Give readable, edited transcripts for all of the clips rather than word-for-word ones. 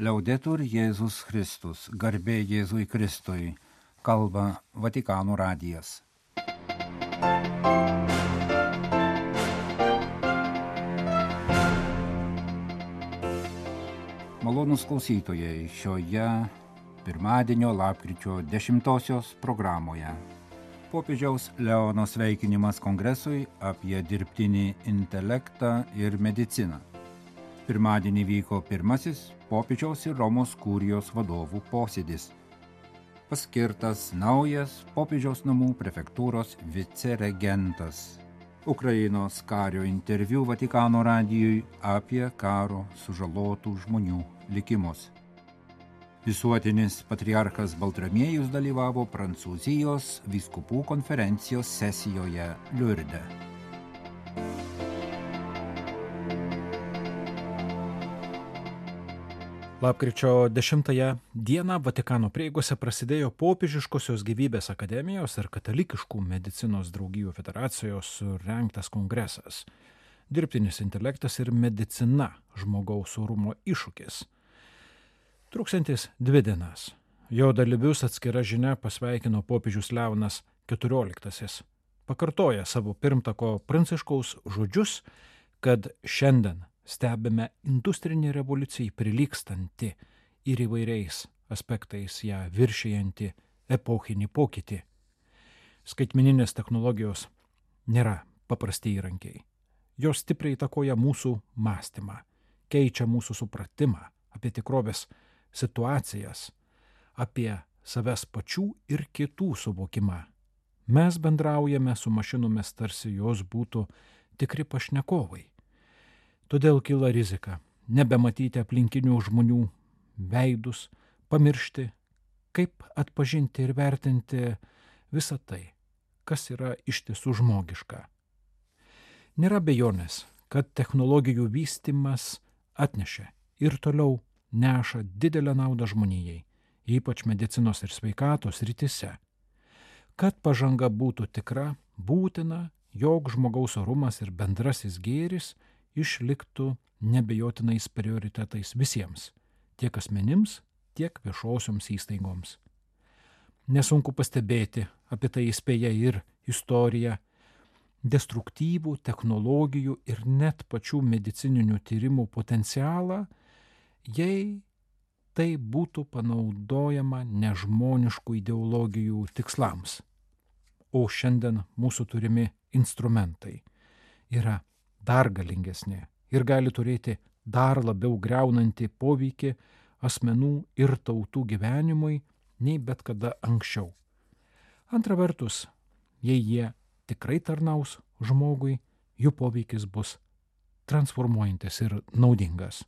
Liaudetur Jėzus Kristus, garbė Jėzui Kristui, kalba Vatikano radijas. Malonūs klausytojai, šioje pirmadienio lapkričio 10 programoje popiežiaus Leono sveikinimas kongresui apie dirbtinį intelektą ir mediciną. Pirmadienį vyko pirmasis popiežiaus ir Romos kurijos vadovų posėdis. Paskirtas naujas popiežiaus namų prefektūros viceregentas. Ukrainos kario interviu Vatikano radijui apie karo sužalotų žmonių likimus. Visuotinis patriarchas Baltramiejus dalyvavo Prancūzijos vyskupų konferencijos sesijoje Liurde. Lapkričio 10 dieną Vatikano prieigose prasidėjo Popiežiškosios gyvybės akademijos ir Katalikiškų medicinos draugijų federacijos surengtas kongresas. Dirbtinis intelektas ir medicina žmogaus orumo iššūkis. Truksiantis 2 dienas. Jo dalyvius atskira žinia pasveikino popiežius Leonas XIV. Pakartoja savo pirmtako Pranciškaus žodžius, kad šiandien stebime industrinį revoliucijai prilygstantį ir įvairiais aspektais ją viršijantį epochinį pokytį. Skaitmeninės technologijos nėra paprasti įrankiai. Jos stipriai įtakoja mūsų mąstymą, keičia mūsų supratimą apie tikrovės situacijas, apie savęs pačių ir kitų suvokimą. Mes bendraujame su mašinomis, tarsi jos būtų tikri pašnekovai. Todėl kyla rizika nebematyti aplinkinių žmonių veidus, pamiršti, kaip atpažinti ir vertinti visą tai, kas yra iš tiesų žmogiška. Nėra abejonės, kad technologijų vystymas atnešė ir toliau neša didelę naudą žmonijai, ypač medicinos ir sveikatos srityse. Kad pažanga būtų tikra, būtina, jog žmogaus orumas ir bendrasis gėris išliktų nebejotinais prioritetais visiems, tiek asmenims, tiek viešosioms įstaigoms. Nesunku pastebėti, apie tai įspėja ir istorija, destruktyvų technologijų ir net pačių medicininių tyrimų potencialą, jei tai būtų panaudojama nežmoniškų ideologijų tikslams. O šiandien mūsų turimi instrumentai yra dar galingesnė ir gali turėti dar labiau griaunantį poveikį asmenų ir tautų gyvenimui nei bet kada anksčiau. Antra vertus, jei jie tikrai tarnaus žmogui, jų poveikis bus transformuojantis ir naudingas.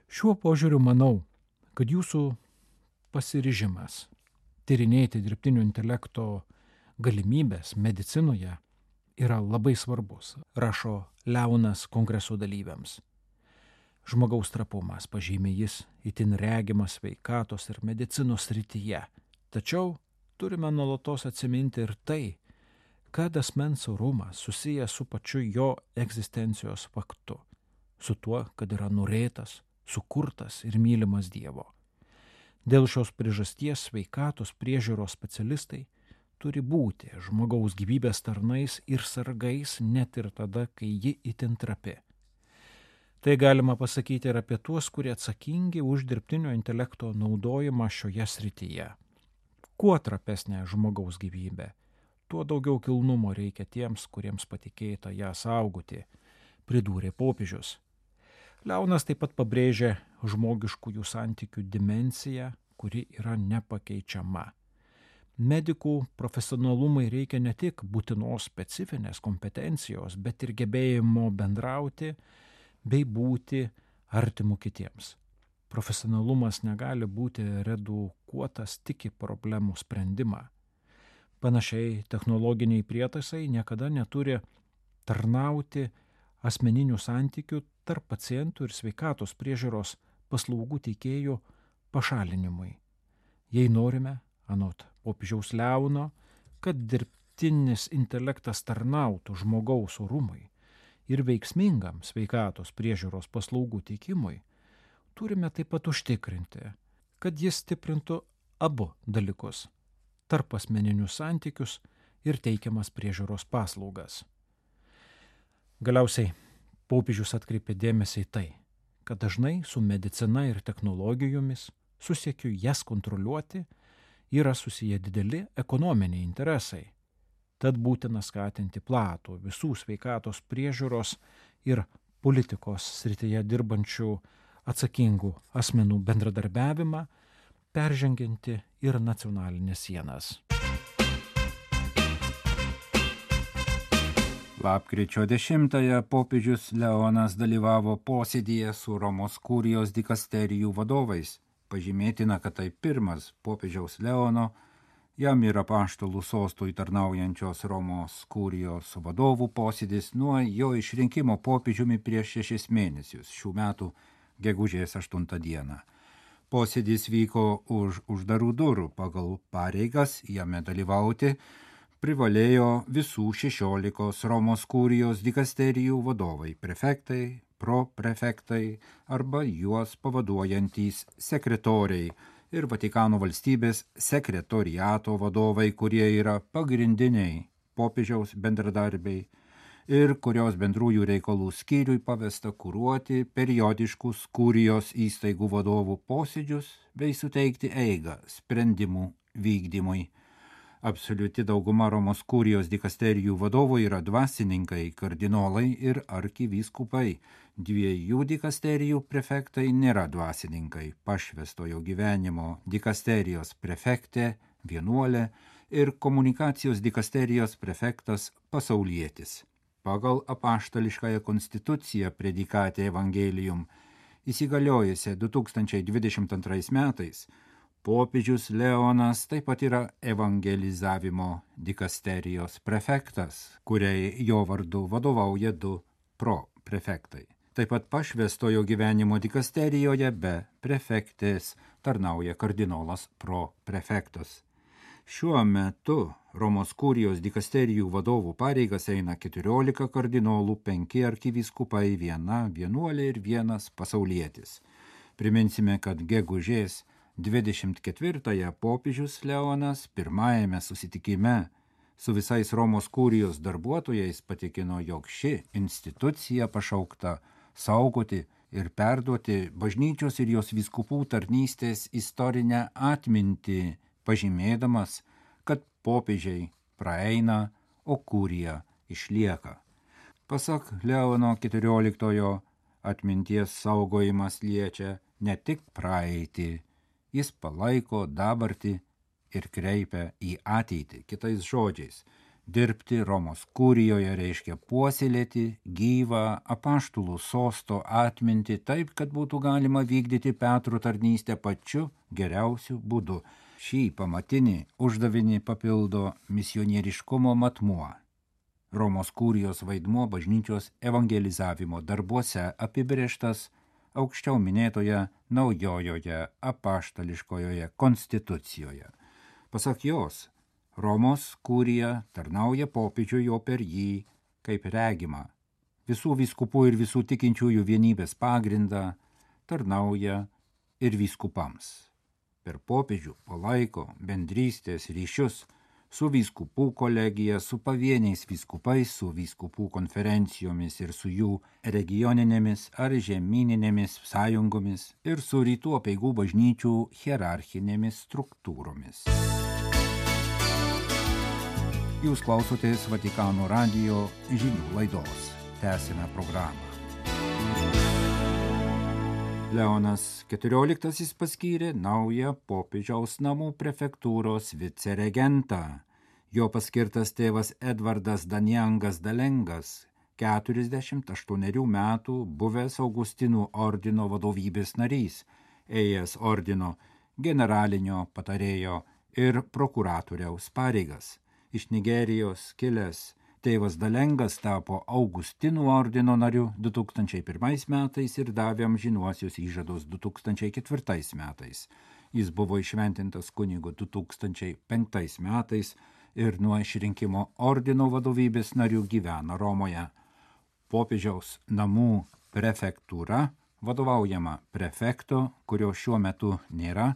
Šiuo požiūriu manau, kad jūsų pasiryžimas tyrinėti dirbtinio intelekto galimybės medicinoje yra labai svarbus, rašo Leonas kongreso dalyviams. Žmogaus trapumas, pažymi jis, itin regimas sveikatos ir medicinos srityje. Tačiau turime nuolatos atsiminti ir tai, kad asmens orumas susijęs su pačiu jo egzistencijos faktu, su tuo, kad yra norėtas, sukurtas ir mylimas Dievo. Dėl šios priežasties sveikatos priežiūros specialistai turi būti žmogaus gyvybės tarnais ir sargais net ir tada, kai ji itin trapi. Tai galima pasakyti ir apie tuos, kurie atsakingi už dirbtinio intelekto naudojimą šioje srityje. Kuo trapesnė žmogaus gyvybė, tuo daugiau kilnumo reikia tiems, kuriems patikėta ją saugoti, pridūrė popiežius. Leonas taip pat pabrėžė žmogiškųjų santykių dimensiją, kuri yra nepakeičiama. Medikų profesionalumai reikia ne tik būtinos specifinės kompetencijos, bet ir gebėjimo bendrauti bei būti artimu kitiems. Profesionalumas negali būti redukuotas tik į problemų sprendimą. Panašiai technologiniai prietaisai niekada neturi tarnauti asmeninių santykių tarp pacientų ir sveikatos priežiūros paslaugų teikėjų pašalinimui. Jei norime, anot popiežiaus Leono, kad dirbtinis intelektas tarnautų žmogaus orumui ir veiksmingam sveikatos priežiūros paslaugų teikimui, turime taip pat užtikrinti, kad jis stiprintų abu dalykus - tarpasmeninius santykius ir teikiamas priežiūros paslaugas. Galiausiai popiežius atkreipė dėmesį į tai, kad dažnai su medicina ir technologijomis, su siekiu jas kontroliuoti, yra susiję dideli ekonominiai interesai. Tad būtina skatinti platų visų sveikatos priežiūros ir politikos srityje dirbančių atsakingų asmenų bendradarbiavimą, peržengianti ir nacionalinės sienas. Lapkričio 10-ąją popiežius Leonas dalyvavo posėdyje su Romos kurijos dikasterijų vadovais. Pažymėtina, kad tai pirmas popiežiaus Leono, jam ir apaštalų sostui tarnaujančios Romos kurijos vadovų posėdis nuo jo išrinkimo popiežiumi prieš 6 mėnesius, šių metų gegužės 8 dieną. Posėdis vyko už uždarų durų, pagal pareigas jame dalyvauti privalėjo visų 16 Romos kurijos dikasterijų vadovai, prefektai, proprefektai arba juos pavaduojantys sekretoriai ir Vatikano valstybės sekretoriato vadovai, kurie yra pagrindiniai popiežiaus bendradarbiai ir kurios bendrųjų reikalų skyriui pavesta kuruoti periodiškus kurijos įstaigų vadovų posėdžius bei suteikti eigą sprendimų vykdymui. Absoliuti dauguma Romos kurijos dikasterijų vadovų yra dvasininkai, kardinolai ir arkivyskupai. 2 dikasterijų prefektai nėra dvasininkai, pašvestojo gyvenimo dikasterijos prefektė, vienuolė ir komunikacijos dikasterijos prefektas pasaulietis. Pagal apaštališkąją konstituciją Predikate Evangelium įsigaliojusią 2022 metais, popiežius Leonas taip pat yra evangelizavimo dikasterijos prefektas, kuriai jo vardu vadovauja 2 proprefektai. Taip pat pašvestojo gyvenimo dikasterijoje be prefektės tarnauja kardinolas proprefektas. Šiuo metu Romos kurijos dikasterijų vadovų pareigas eina 14 kardinolų, 5 arkivyskupai, 1 vienuolė ir 1 pasaulietis. Priminsime, kad gegužės 24-ąją popiežius Leonas pirmajame susitikime su visais Romos kurijos darbuotojais patikino, jog ši institucija pašaukta saugoti ir perduoti bažnyčios ir jos vyskupų tarnystės istorinę atmintį, pažymėdamas, kad popiežiai praeina, o kurija išlieka. Pasak Leono XIV, atminties saugojimas liečia ne tik praeitį, jis palaiko dabartį ir kreipia į ateitį. Kitais žodžiais, dirbti Romos kurijoje reiškia puoselėti gyvą apaštalų sosto atmintį taip, kad būtų galima vykdyti Petro tarnystę pačiu geriausiu būdu. Šį pamatinį uždavinį papildo misionieriškumo matmuo. Romos kurijos vaidmuo bažnyčios evangelizavimo darbuose apibrėžtas aukščiau minėtoje naujojoje apaštališkojoje konstitucijoje. Pasak jos, Romos kurija tarnauja popiežiui, o per jį, kaip regima, visų vyskupų ir visų tikinčiųjų vienybės pagrindą tarnauja ir vyskupams. Per popiežių palaiko bendrystės ryšius su vyskupų kolegija, su pavieniais vyskupais, su vyskupų konferencijomis ir su jų regioninėmis ar žemyninėmis sąjungomis ir su rytų apeigų bažnyčių hierarchinėmis struktūromis. Jūs klausotės Vatikano radijo žinių laidos. Tęsime programą. Leonas XIV paskyrė naują popiežiaus namų prefektūros viceregentą. Jo paskirtas tėvas Edvardas Danjangas Dalengas, 48 metų buvęs Augustinų ordino vadovybės narys, ėjęs ordino generalinio patarėjo ir prokuratoriaus pareigas. Iš Nigerijos kilęs tėvas Dalengas tapo Augustinų ordino nariu 2001 metais ir davė amžinuosius įžadus 2004 metais. Jis buvo įšventintas kunigu 2005 metais ir nuo išrinkimo ordino vadovybės narių gyvena Romoje. Popiežiaus namų prefektūra vadovaujama prefekto, kurio šiuo metu nėra,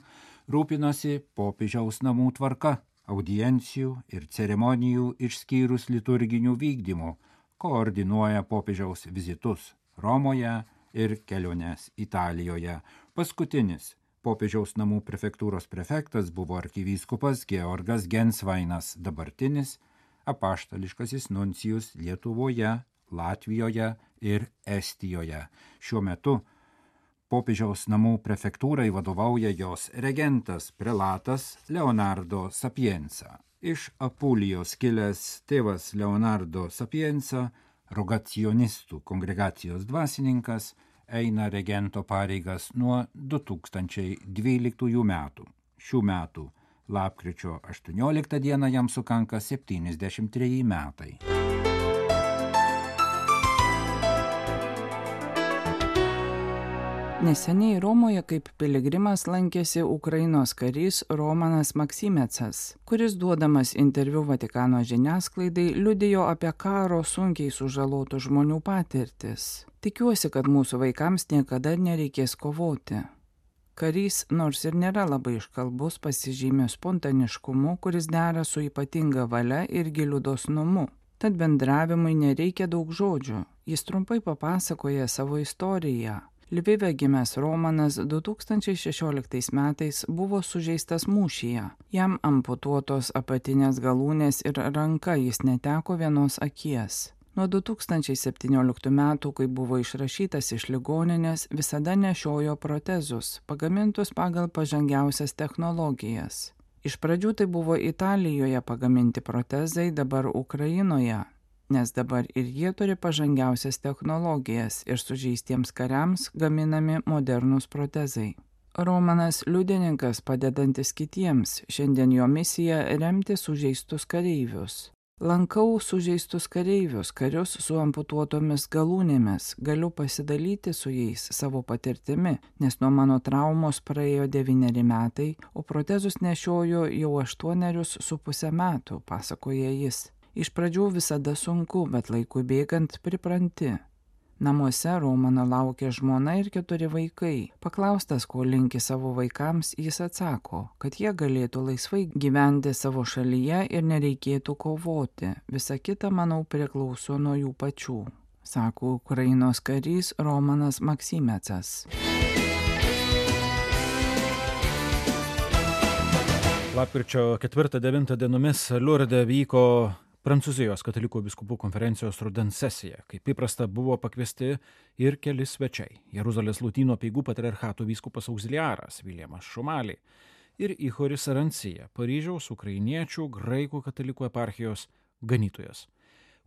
rūpinosi popiežiaus namų tvarka, audiencijų ir ceremonijų išskyrus liturginių vykdymų, koordinuoja popiežiaus vizitus Romoje ir keliones Italijoje. Paskutinis popiežiaus namų prefektūros prefektas buvo arkivyskupas Georgas Gensvainas, dabartinis apaštališkasis nuncijus Lietuvoje, Latvijoje ir Estijoje. Šiuo metu popiežiaus namų prefektūrai vadovauja jos regentas prelatas Leonardo Sapienza. Iš Apulijos kilęs tėvas Leonardo Sapienza, rogacionistų kongregacijos dvasininkas, eina regento pareigas nuo 2012 metų. Šių metų lapkričio 18 dieną jam sukanka 73 metai. Neseniai Romoje kaip piligrimas lankėsi Ukrainos karys Romanas Maksimecas, kuris duodamas interviu Vatikano žiniasklaidai liudijo apie karo sunkiai sužalotų žmonių patirtis. Tikiuosi, kad mūsų vaikams niekada nereikės kovoti. Karys, nors ir nėra labai iškalbus, pasižymė spontaniškumu, kuris dera su ypatinga valia ir giliu dosnumu. Tad bendravimui nereikia daug žodžių. Jis trumpai papasakoja savo istoriją. Lvive gimęs Romanas 2016 metais buvo sužeistas mūšyje. Jam amputuotos apatinės galūnės ir ranka, jis neteko vienos akies. Nuo 2017 metų, kai buvo išrašytas iš ligoninės, visada nešiojo protezus, pagamintus pagal pažangiausias technologijas. Iš pradžių tai buvo Italijoje pagaminti protezai, dabar Ukrainoje, nes dabar ir jie turi pažangiausias technologijas ir sužeistiems kariams gaminami modernūs protezai. Romanas liudininkas padedantis kitiems, šiandien jo misija remti sužeistus kareivius. Lankau sužeistus kareivius, karius su amputuotomis galūnėmis, galiu pasidalyti su jais savo patirtimi, nes nuo mano traumos praėjo 9 metai, o protezus nešioju jau 8,5 metų, pasakoja jis. Iš pradžių visada sunku, bet laikui bėgant pripranti. Namuose Romano laukia žmona ir 4 vaikai. Paklaustas, ko linki savo vaikams, jis atsako, kad jie galėtų laisvai gyventi savo šalyje ir nereikėtų kovoti. Visa kita, manau, priklauso nuo jų pačių, sako Ukrainos karys Romanas Maksimecas. Lapkričio 4-9 dienomis Liurde vyko Prancūzijos katalikų vyskupų konferencijos rudens sesija. Kaip įprasta, buvo pakviesti ir keli svečiai. Jeruzalės Lotynų apeigų patriarchato vyskupas auxiliaras Viljamas Šumalė ir Ihoris Arancija, Paryžiaus ukrainiečių graikų katalikų eparchijos ganytojas.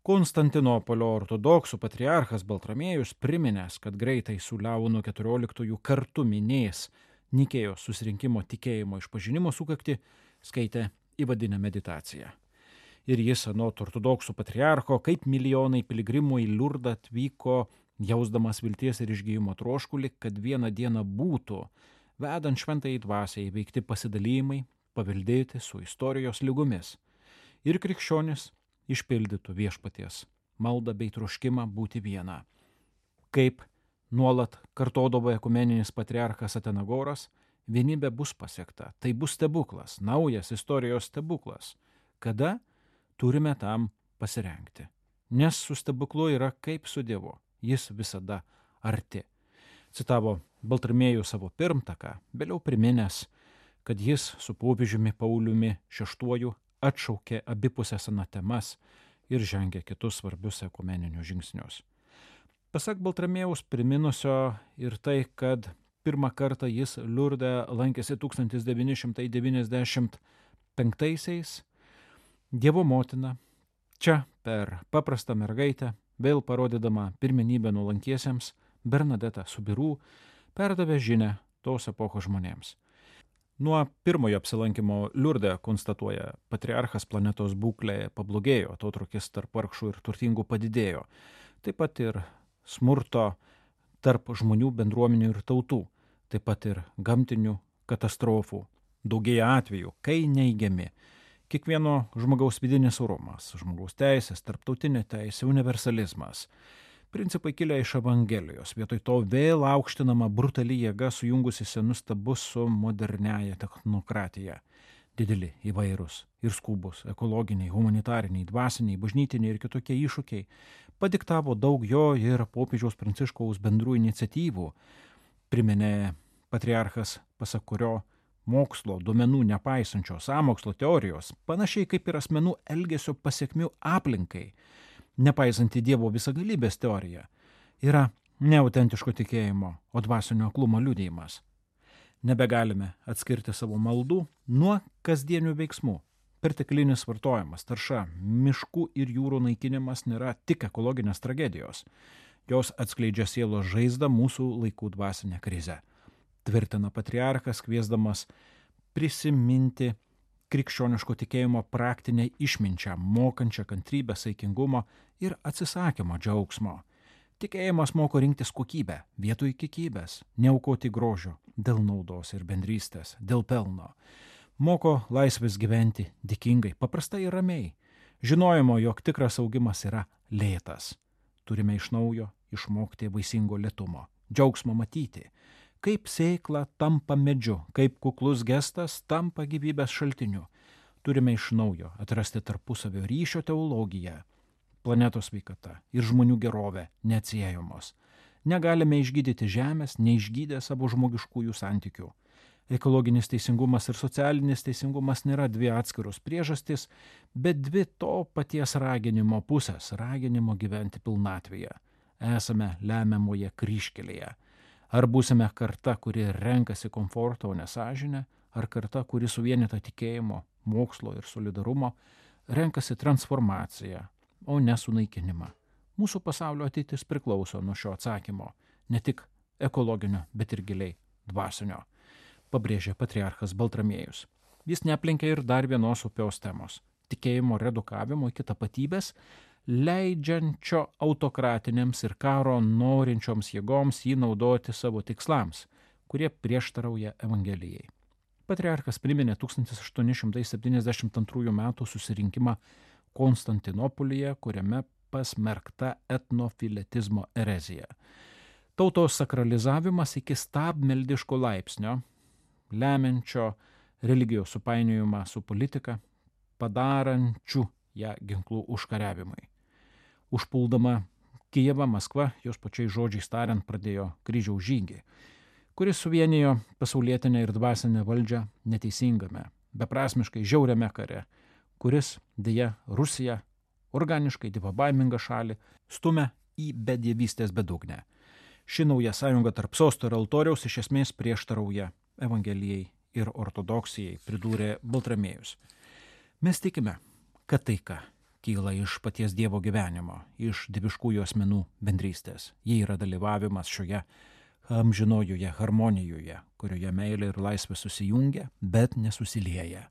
Konstantinopolio ortodoksų patriarchas Baltramiejus priminęs, kad greitai su Leonu XIV kartu minės Nikėjos susirinkimo tikėjimo išpažinimo sukaktį, skaitė įvadinę meditaciją. Ir jis anot ortodoksų patriarcho, kaip milijonai piligrimų į Liurdą atvyko, jausdamas vilties ir išgijimo troškulį, kad vieną dieną būtų, vedant šventąjį dvasią įveikti pasidalymai, paveldėti su istorijos lygomis. Ir krikščionis išpildytų viešpaties maldą bei troškimą būti viena. Kaip nuolat kartodavo ekumeninis patriarchas Atenagoras, vienybė bus pasiekta. Tai bus stebuklas, naujas istorijos stebuklas. Kada? Turime tam pasirengti. Nes su stebuklu yra kaip su Dievu. Jis visada arti. Citavo Baltramiejų savo pirmtaką, vėliau priminęs, kad jis su popiežiumi Pauliumi VI atšaukė abipusės anatemas ir žengė kitus svarbius ekumeninius žingsnius. Pasak Baltramiejaus priminusio ir tai, kad pirmą kartą jis Liurde lankėsi 1995-aisiais, Dievo motina, čia per paprastą mergaitę, vėl parodydama pirmenybę nuolankiesiems, Bernadeta Subirų perdavė žinią tos epochos žmonėms. Nuo pirmojo apsilankimo Liurde, konstatuoja patriarchas, planetos būklė pablogėjo, atotrūkis tarp vargšų ir turtingų padidėjo. Taip pat ir smurto tarp žmonių, bendruomenių ir tautų, taip pat ir gamtinių katastrofų. Daugėja atvejų, kai neigiami kiekvieno žmogaus vidinis orumas, žmogaus teisės, tarptautinė teisė, universalizmas. Principai kilę iš Evangelijos, vietoj to vėl aukštinama brutali jėga sujungusi senus stabus su moderniaja technokratija. Dideli, įvairūs ir skubus, ekologiniai, humanitariniai, dvasiniai, bažnytiniai ir kitokie iššūkiai padiktavo daug jo ir popiežiaus Pranciškaus bendrų iniciatyvų. Priminė patriarchas, pasak kurio mokslo duomenų nepaisančios sąmokslo teorijos, panašiai kaip ir asmenų elgesio pasiekmių aplinkai, nepaisanti Dievo visagalybės teorija, yra neautentiško tikėjimo, o dvasinio aklumo liudijimas. Nebegalime atskirti savo maldų nuo kasdienių veiksmų. Perteklinis vartojimas, tarša, miškų ir jūrų naikinimas nėra tik ekologinės tragedijos. Jos atskleidžia sielos žaizdą mūsų laikų dvasinę krizę. Tvirtina patriarchas, kviesdamas prisiminti krikščioniško tikėjimo praktinę išminčią, mokančią kantrybę, saikingumo ir atsisakymo džiaugsmo. Tikėjimas moko rinktis kokybę vietoj kiekybės, neaukoti grožio dėl naudos ir bendrystės, dėl pelno. Moko laisvės gyventi dėkingai, paprastai ir ramiai. Žinojimo, jog tikras augimas yra lėtas. Turime iš naujo išmokti vaisingo lėtumo, džiaugsmo matyti, kaip sėkla tampa medžiu, kaip kuklus gestas tampa gyvybės šaltiniu. Turime iš naujo atrasti tarpusavio ryšio teologiją. Planetos sveikata ir žmonių gerovė neatsiejamos. Negalime išgydyti žemės, neišgydę savo žmogiškųjų santykių. Ekologinis teisingumas ir socialinis teisingumas nėra dvi atskiros priežastys, bet dvi to paties raginimo pusės, raginimo gyventi pilnatvėje. Esame lemiamoje kryžkelėje. Ar būsime karta, kuri renkasi komfortą, o ne sąžinę, ar karta, kuri suvienyta tikėjimo, mokslo ir solidarumo, renkasi transformaciją, o ne sunaikinimą. Mūsų pasaulio ateitis priklauso nuo šio atsakymo, ne tik ekologinio, bet ir giliai dvasinio, pabrėžė patriarchas Baltramiejus. Jis neaplenkė ir dar vienos opios temos – tikėjimo redukavimo iki tapatybės, leidžiančio autokratinėms ir karo norinčioms jėgoms jį naudoti savo tikslams, kurie prieštarauja Evangelijai. Patriarchas priminė 1872 metų susirinkimą Konstantinopolyje, kuriame pasmerkta etnofiletizmo erezija. Tautos sakralizavimas iki stabmeldiško laipsnio, lemiančio religijos supainiojimą su politika, padarančių ją ginklų užkariavimui. Užpuldama Kijevą, Maskva, jos pačiais žodžiais tariant, pradėjo kryžiaus žygį, kuris suvienijo pasaulietinę ir dvasinę valdžią neteisingame, beprasmiškai žiauriame kare, kuris, deja, Rusiją, organiškai dievabaimingą šalį, stumia į bedievystės bedugnę. Ši nauja sąjunga tarp sosto ir altoriaus iš esmės prieštarauja Evangelijai ir ortodoksijai, pridūrė Baltramiejus. Mes tikime, kad taika kyla iš paties Dievo gyvenimo, iš dieviškųjų asmenų bendrystės. Jie yra dalyvavimas šioje amžinojoje harmonijoje, kurioje meilė ir laisvė susijungia, bet nesusilieja.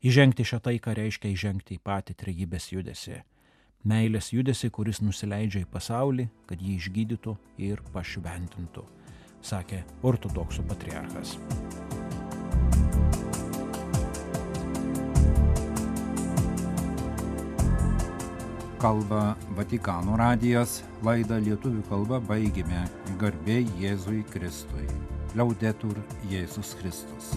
Įžengti šią taiką reiškia įžengti į patį trejybės judesį. Meilės judesį, kuris nusileidžia į pasaulį, kad jį išgydytų ir pašventintų, sakė ortodoksų patriarchas. Kalba Vatikano radijas, laidą lietuvių kalba baigėme. Garbė Jėzui Kristui. Liaudetur Jėzus Kristus.